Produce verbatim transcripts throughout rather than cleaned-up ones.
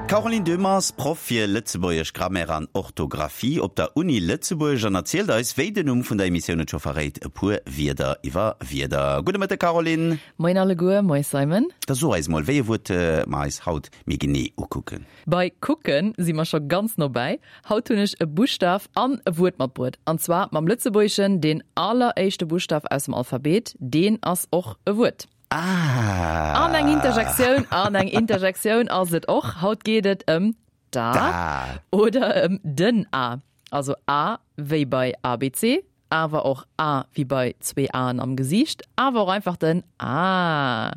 D'Caroline Döhmer ass Proff fir Lëtzebuergesch Grammaire an Orthografie op der Uni Lëtzebuerg an erzielt eis, wéi den Numm vun der Emissioun et scho verréit, e puer Wierder iwwer Wierder. Gudde Mëtteg, Caroline. Moien alleguer, moie Simon. Da so eis mol, wéi e Wuert mer eis haut méi genee ukucken. Bei kucken si mer scho ganz no bäi. Haut hunn ech e Buschtaf an e Wuert matbruet. An zwar mam Lëtzebuergeschen deen alleréischte Buschtaf aus dem Alphabet, deen ass och e Wuert. Ah! An eng Interjektioun, an eng Interjektioun ass et och. Haut geet et ëm d'A. D'A. Oder ëm den A. Also A wéi bei A B C, awer och A wéi bei zwee Aen am Gesiicht, awer och einfach den A.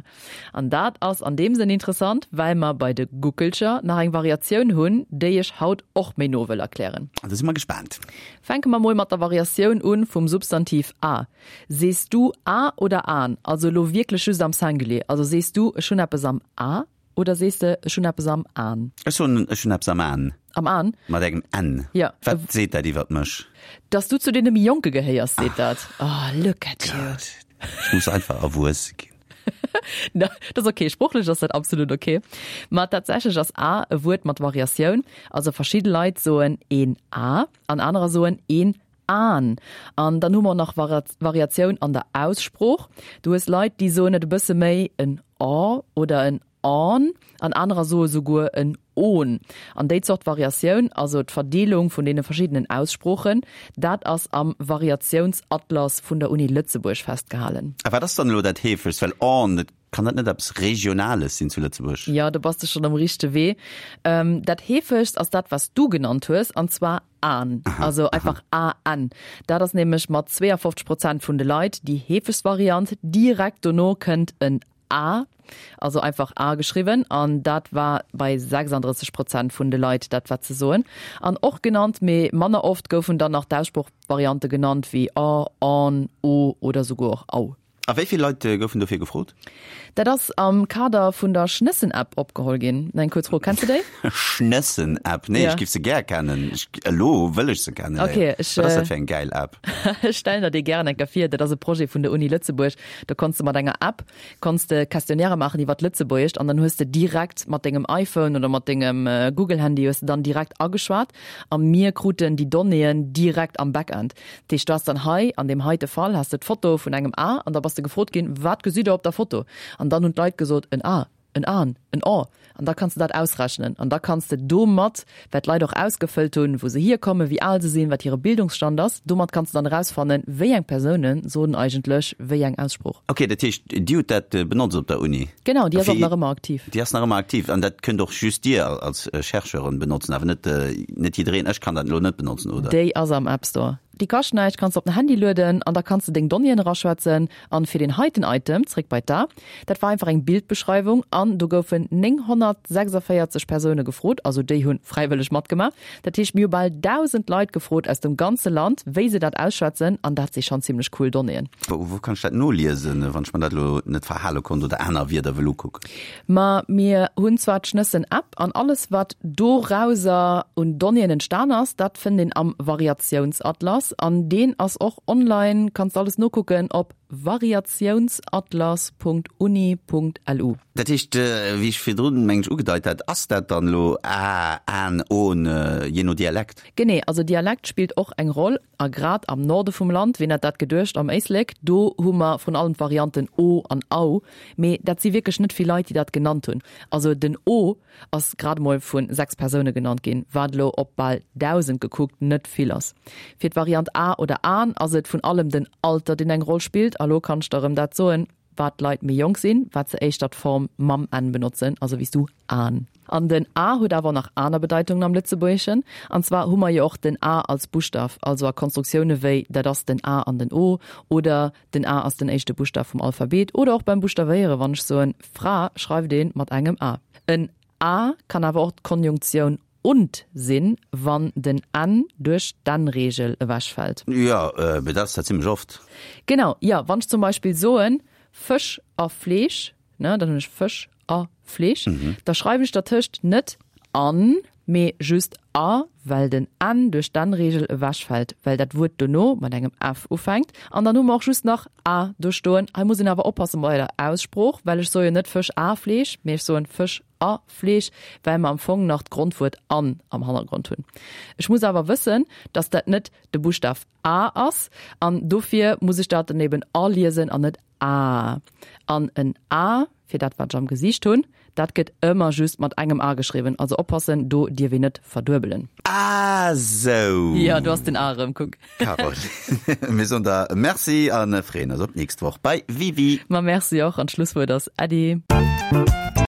An dat ass an deem Sënn interessant, well mer bei de Guckelcher nach eng Variatioun hunn, déi ech haut och méi no wëll erklären. Da si mer gespaant. Fänke mer mol mat der Variatioun un vum Substantiv A. Sees du A oder An? Also elo wierklech just am Singulier. Also sees du, ech hunn eppes am A oder sees de, ech hunn eppes am An? Ech soen, ech hunn eppes am An. Am An? Mat engem N. Ja. Wat seet dat iwwert mech? Dass du zu deene méi Jonke gehéiers, seet dat. Oh, look at you. Gott. Ech muss einfach erwuesse ginn. Na, dat ass ok. Sproochlech ass dat absolut ok. Ma tatsächlech ass A e Wuert mat Variatioun. Also verschidde Leit soen een A an anerer soen een An. An dann hu mer nach Variatioun an der Aussprooch. Du hues Leit, déi soen et e bësse méi en Â oder en Ân an anerer soe souguer en On. An déi Zort Variatioun, also d'Verdeelung vun deene verschiddenen Aussproochen, dat ass am Variatiounsatlas vun der Uni Lëtzebuerg festgehalen. A wat ass dann elo dat heefegst? Well On, dat kann dat net eppes Regionales sinn zu Lëtzebuerg? Jo, do bass de schonn um richtege Wee. Dat heefegst ass dat, wat s du genannt hues, an zwar An, also einfach A N. Dat ass nämlech mat zweeafofzeg Prozent vun de Leit déi heefegst Variant. Direkt dono kënnt en A, also einfach A geschriwwen, an dat war bei sechsanddrësseg Prozent vun de Leit dat wat se soen. An och genannt, mee manner oft, goufen dann nach d'Aussproochvariante genannt wéi A, An, O oder souguer och Au. A wéi vill Leit goufen dofir gefrot? Dat ass am Kader vun der Schnëssen-App opgeholl ginn. Eng kuerz Fro, kenns de déi? Schnëssen-App? Nee, ech giff se gär kennen. Ech, elo wëll ech se kennen. Ok, ech. Wat ass dat fir eng gäil App? Ech stellen der déi gären eng Kéier vir. Dat ass e Projet vun der Uni Lëtzebuerg. Do konns de mat enger App konns de Questionnairë maachen iwwer d'Lëtzebuergescht an dann hues de direkt mat dengem iPhone oder mat dengem Google-Handy hues de dann direkt ageschwat a mir kruten déi Donnéeën direkt am Backend. Dat heescht, du has dann hei an deem heite Fall has de d'Foto vun engem A an da bass de gefrot ginn, wat gesitt der op der Foto? An dann hunn d'Leit gesot, en A, en An, en Â. An da kanns de dat ausrechnen. An da kanns de domat, well d'Leit och ausgefëllt hunn, wou se hierkommen, wéi al se sinn, wat hire Bildungsstand ass, domat kanns de dann erausfannen, wéi eng Persoune soen eigentlech wéi eng Aussprooch. Ok, dat heescht, Dir hutt dat benotzt op der Uni? Genau, déi ass och nach ëmmer aktiv. Déi ass nach ëmmer aktiv. An dat kënnt och just Dir als Chercheuren benotzen, awer net, net jiddereen. Ech kann dat elo net benotzen, oder? Déi ass am App Store. Déi kascht näischt, kanns de op den Handy lueden an da kanns de deng Donnéeën eraschwätzen. An fir deen heiten Item, zréck bei d'A, dat war einfach eng Bildbeschreiwung an do goufen nénghonnertsechsundvéierzeg Persoune gefrot, also déi hu fräiwëlleg matgemaach. Dat heescht, mir hu bal dausend Leit gefrot aus dem ganze Land, wéi se dat ausschwätzen an dat si schonn zimmlech cool Donnéeën. Wou wou kann ech dat noliesen, wann ech mer dat elo net verhale konnt oder aner Wierder wëll ukucken? Ma mir hunn zwar d'Schnëssen-App an alles wat dorauser un Donnéeën entstan ass, dat fënnt een am Variatiounsatlas an deen ass och online, kanns de alles nokucken op variatiounsatlas Punkt uni Punkt lu. Dat heescht, wéi ech virdrun, meng ech, ugedeit hat, ass dat dann elo a, an, on, jee no Dialekt? Genee, also Dialekt spillt och eng Roll a grad am Norde vum Land, wien hätt dat geduecht, am Éislek, do hu mer vrun allem d'Varianten o an au, mee dat si wierklech net vill Leit, déi dat genannt hunn. Also den o ass grad emol vu sechs Persoune genannt ginn, wat elo op bal dausend gekuckt net vill ass. Fir d'Variant a oder an ass et vun allem den Alter, deen eng Roll spillt. A lo kann ech der erëm dat soen, wat d'Leit méi jonk sinn, wat se éischter d'Form mam n benotzen, also wéi s du, an. An den a huet awer och nach aner Bedeitungen am Lëtzebuergeschen. An zwar hu mer jo och den a als Buschtaf, also a Konstruktioune wéi dat ass den a an den o oder den a ass den éischte Buschtaf vum Alphabet oder och beim Buschtawéieren, wann ech soen Fra, schreift een mat engem a. En a kann awer och d'Konjunktioun und sinn, wann den n duerch d'N-Reegel ewechfält. Jo, mee dat ass dat zimmlech oft. Genau, jo. Wann ech zum Beispill soen Fësch a Fleesch, ne, dann hunn ech Fësch a Fleesch. Da schreiwen ech dertëscht net an, mee just a, well den n duerch d'N-Reegel ewechfält, well dat Wuert dono mat engem f ufänkt. An dann hu mer och just nach a do stoen. Hei muss een awer oppasse bei der Aussprooch, well ech soe jo net Fësch a Fleesch, mee ech soen Fësch a Fleesch, well mer am Fong nach d'Grondwuert an am Hannergrond hunn. Ech muss awer wëssen, dass dat net de Buschtaf A ass, an dofir muss ech dat dann eben a liesen an net aa. An en A, fir dat wat ech am Gesiicht hunn, dat gëtt ëmmer just mat engem A geschriwwen, also oppassen, do dierf een net verduebelen. Ah sou! Jo, do ass den A erëm, kuck. Caroline, mir soen der Merci a freeën eis op d'nächst Woch bei Wiwi. Ma merci och, an d'Schlusswuert ass Äddi.